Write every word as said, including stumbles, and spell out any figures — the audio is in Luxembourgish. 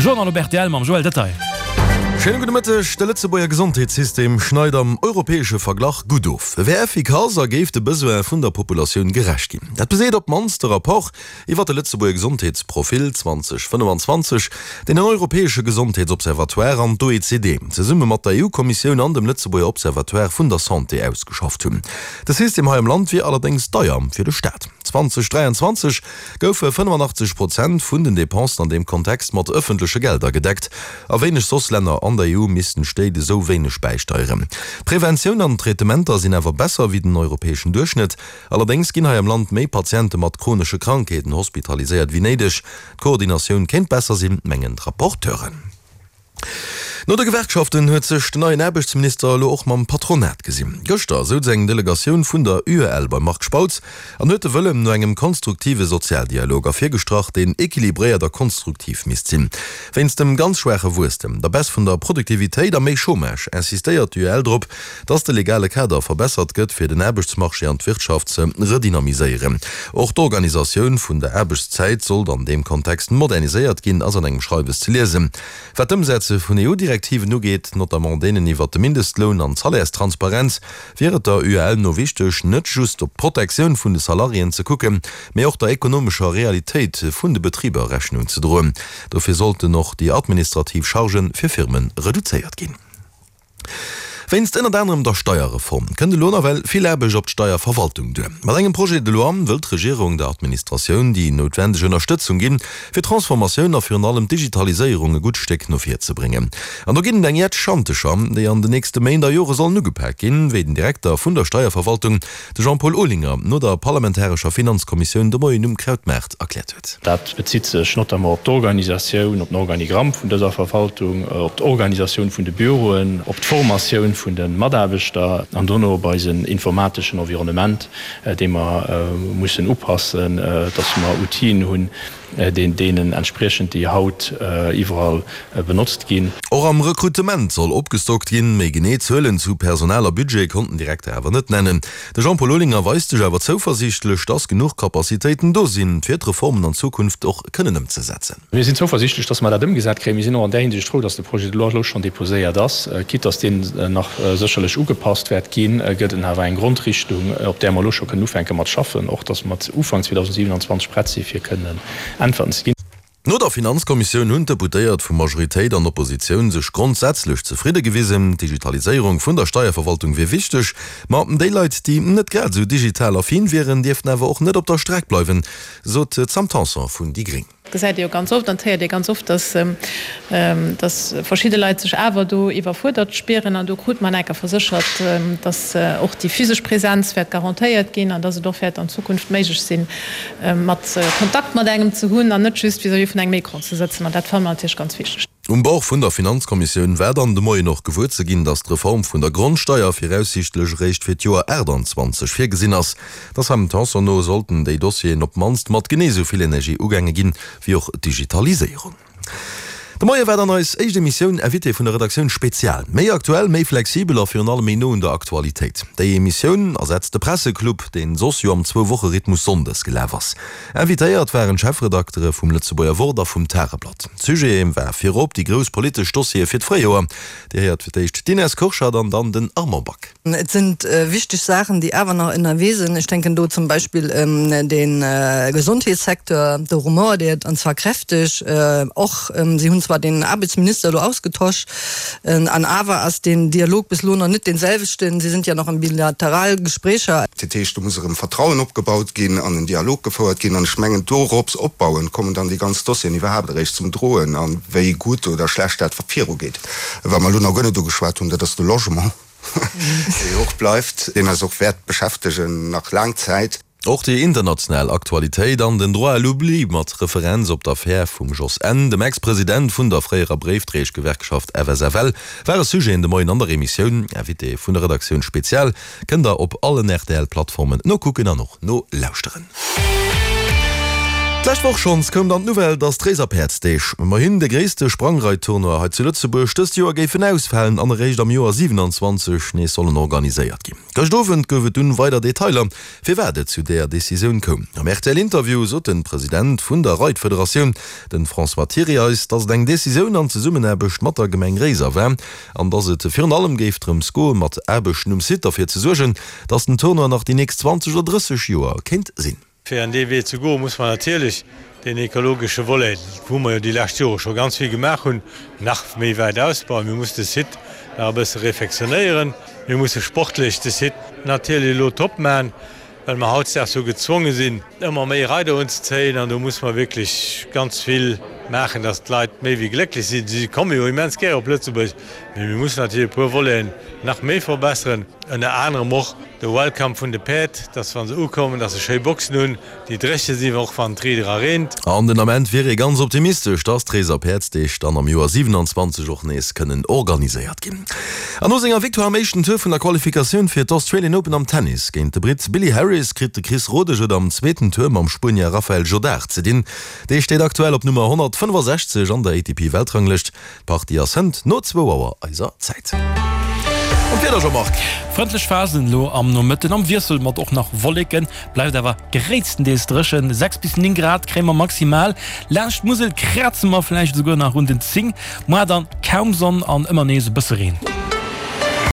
De Journal op rtl mam Joël Detaille. Schéine gudde Mëtteg. De Lëtzebuerger Gesondheetssystem schneit am europäesche Verglach gutt of. E wär effikass a géif de Besoine vun der Populatioun gerecht ginn. Dat beseet op d'mannst de Rapport iwwer de Lëtzebuerger Gesondheetsprofil zwanzeg fënnefenzwanzeg, deen den Europäesche Gesondheetsobservatoire an d'OECD zesumme mat der EU-Kommissioun an dem Lëtzebuerger Observatoire vun der Santé ausgeschafft hunn. De System hei am Land wier allerdéngs deier fir de Staat. zwanzeg dräianzwanzeg goufe fënnefenachtzeg Prozent vun den Depensen an deem Kontext mat ëffentleche Gelder gedeckt. A wéineg soss Länner an der E U missten d'Stéit esou wéineg bäisteieren. D'Preventioun an d'Traitementer sinn awer besser wéi den europäeschen Duerchschnëtt. Allerdéngs ginn hei am Land méi Patiente mat chronesche Krankheeten hospitaliséiert wéi néideg. D'Koordinatioun kéint besser sinn, mengen d'Rapporteuren. No de Gewerkschaften huet sech den neien Aarbechtsminister elo och mam Patronat gesinn. Gëschter souz eng Delegatioun vun der U E L beim Marc Spautz an huet de Wëllen no engem konstruktive Sozialdialog ervirgestrach, deen equilibréiert a konstruktiv misst sinn. Wéinst dem ganz schwaache Wuesstem, der Baisse vun der Produktivitéit a méi Chômage insistéiert d'U E L drop, datt de legale Kader verbessert gëtt, fir den Aarbechtsmarché an d'Wirtschaft ze redynamiséieren. Och d'Organisatioun vun der Aarbechtszäit sollt an deem Kontext moderniséiert ginn, ass an engem Schreiwes ze liesen. Wat d'Ëmsetze vun E U-Direktiven ugeet, notamment deenen iwwert de Mindestloun an d'Salärstransparenz, wier et der U E L no wichteg, net just op d'Protektioun vun de Salariéen ze kucken, mee och der ekonomescher Realitéit vun de Betriber Rechnung ze droen. Dofir sollten och déi administrativ Chargë fir Firme reduzéiert ginn. Wéinst ënnert anerem der Steierreform kënnt elo nawell vill Aarbecht op d'Steierverwaltung duer. Mat engem Projet de loi wëll d'Regierung der Administratioun déi noutwendeg Ënnerstëtzung ginn, fir d'Transformatioun a virun allem d'Digitaliséierung e gutt Stéck no vir ze bréngen. An do ginn et eng Jett Schantecher, déi an den nächste Méint a Jore sollen ugepak ginn, wéi den Direkter vun der Steierverwaltung, de Jean-Paul Olinger, no der parlamentarescher Finanzkommissioun de Moien um Krautmaart erkläert huet. Dat bezitt sech notamment op d'Organisatioun, op den Organigramm vun dëser Verwaltung, op d'Organisatioun vun de Büroen, op d'Formatioun vun de Mataarbechter an dono op eisen informateschen Environnement, dee mer mussen upassen, dass mer Outile hunn, deenen entspriechend, déi haut iwwerall benotzt ginn. Och am Rekrutement soll opgestockt ginn. Méi genee Zuelen zu Personal a Budget konnt den Direkter awer net nennen. De Jean-Paul Olinger weist sech awer zouversiichtlech, dass genuch Capacitéiten do sinn, fir d'Reformen an Zukunft och kënnen ëmzesetzen. Mir sinn zouversiichtlech, dass mer dat ëmgesat kréien. Mir sinn och an där Hinsicht frou, dass de Projet de loi elo schonn deposéiert ass. Quitte dass deen nach sécherlech ugepasst wäert ginn, gëtt en awer eng Grondrichtung, op där mer elo scho kënnen ufänke mat schaffen, och dass mer Ufank zweedausendsiwenanzwanzeg prett si fir kënnen Äntwerten ze ginn. No der Finanzkommissioun hunn d'Deputéiert vu Majoritéit an Oppositioun sech grondsätzlech zefridde gewisen. D'Digitaliséierung vun der Steierverwaltung wier wichteg, ma déi Leit, déi net grad esou digital affin wieren, dierften awer och net op der Streck bleiwen, sot d'Sam Tanson vun déi gréng. Et gesäit ee jo ganz oft an et héiert ee ganz oft, dass dass verschidde Leit sech awer do iwwerfuerdert spieren. An do krut mer enker verséchert, dass och déi physesch Präsenz wäert garantéiert ginn an dass et och wäert an Zukunft méiglech sinn, mat Kontakt mat engem ze hunn an net just vis-à-vis vun engem Écran ze sëtzen. An dat fanne mer natierlech ganz wichteg. Um Bord vun der Finanzkommissioun war dann de Moien och gewuer ze ginn, datt d'Reform vun der Grondsteier viraussiichtlech eréischt fir d'Joer achtanzwanzeg virgesinn ass. Der Sam Tanson no sollten déi Dossieren op d'mannst mat genee esou vill Energie ugaange ginn, wéi och d'Digitaliséierung. De Moie war dann eis éischt Emissioun Invité vun der Redaktioun Spezial. Méi aktuell, méi flexibel a virun allem méi no un der Aktualitéit. Déi Emissioun ersetzt de Presseclub, deen soss jo am Zwou-Woche-Rhythmus sonndes gelaf ass. Invitéiert waren d'Chefredaktere vum Lëtzebuerger Wort a vum Tageblatt. Sujet war virop déi grouss politesch Dossiere fir d'Fréijoer. Dir héiert fir d'éischt d'Ines Kurschat an dann den Armand Back. Et sinn wichteg Saachen, déi awer nach ënnerwee sinn. Ech denken do zum Beispill ëm de Gesondheetssecteur, do rumort et, an zwar kräfteg. Och si hunn zwar den Aarbechtsminister elo ausgetosch, an awer ass den Dialog bis elo nach net dee selwechten. Si sind ja noch an bilaterale Gesprécher. Dat heescht, do muss erëm Vertrauen opgebaut ginn an en Dialog gefouert ginn. An ech mengen, dorops opbauend kommen dann déi ganz Dossieren iwwerhaapt eréischt zum Droen a wéi gutt oder schlecht dat virugeet. Wat mer elo nach guer net ugeschwat hunn, dat ass de Logement, dee jo och bleift, deen eis och wäert beschäftegen nach laang Zäit. Och déi international Aktualitéit an den Droit à l'oubli mat Referenz op d'Affär vum Jos N., dem Ex-President vun der fréierer Bréifdréieschgewerkschaft F S F L, ware Sujeten de Moien an der Emissioun. Invité vun der Redaktioun Spezial kënnt der op allen R T L-Plattformen nokucken an och nolauschteren. D'lescht Woch schonns koum dann d'Nouvelle, dass d'Réiser Päerdsdeeg, ëmmerhin de gréisste Sprangreittournoi hei zu Lëtzebuerg, dëst Joer géifen ausfalen an eréischt am Joer siewenanzwanzeg nees sollen organiséiert ginn. Gëscht Owend gouf et dunn weider Detailer, firwat et zu där Decisioun koum. Am R T L-Interview sot de President vun der Reitfederatioun, de François Thiry eis, dass et eng Decisioun an Zesummenaarbecht mat der Gemeng Réiser war an dass et virun allem géif drëms goe mat Aarbechten um Site derfir ze suergen, dass den Tournoi nach déi nächst zwanzeg oder drësseg Joer kéint sinn. Fir an dee Wee ze goen, muss mer natierlech deen ekologesche Volet, wou mer jo déi lescht Jore scho ganz vill gemaach hunn, nach méi wäit ausbauen. Mir mussen de Site nach e bësse refectionnéieren. Mir musse sportlech de Site natierlech elo top maachen, well mer hautdesdaags jo gezwonge sinn, ëmmer méi Reider unzezéien. An do muss mer wierklech ganz vill maachen, dass d'Leit méi wéi glécklech sinn. Si komme jo immens gär op Lëtzebuerg, mee mir mussen natierlech e puer Voleten nach méi verbesseren, ënner anerem och de Welcome vun de Päerd, dass wa se ukommen, dass se schéi Boxen hunn, déi dréche sinn, och wann et riit era reent. An den Ament wier ee ganz optimistesch, dass d'Réiser Päerdsdeeg dann am Joer siewenanzwanzeg och nees kënnen organiséiert ginn. An no senger Victoire am éischten Tour vun der Qualifikatioun fir d'Australian Open am Tennis géint de Britt Billy Harris kritt de Chris Rodesch et am zweeten Tour mam Spuenier Rafael Jodar ze dinn. Dee steet aktuell op Nummer honnertfënnefasechzeg an der A T P-Weltranglëscht. D'Partie ass hënt no zwou Auer eiser Zäit. An d'Wieder, Jean-Marc? Frëndlech Phasen elo am Nomëtten am Wiessel mat och nach Wolleken, bleift awer gréisstendeels dréchen. sechs bis néng Grad kréie mer maximal, laanscht d'Musel kraze mer vläicht esouguer nach un den zéng. Moar dann kaum Sonn an ëmmer nees e bësse Reen.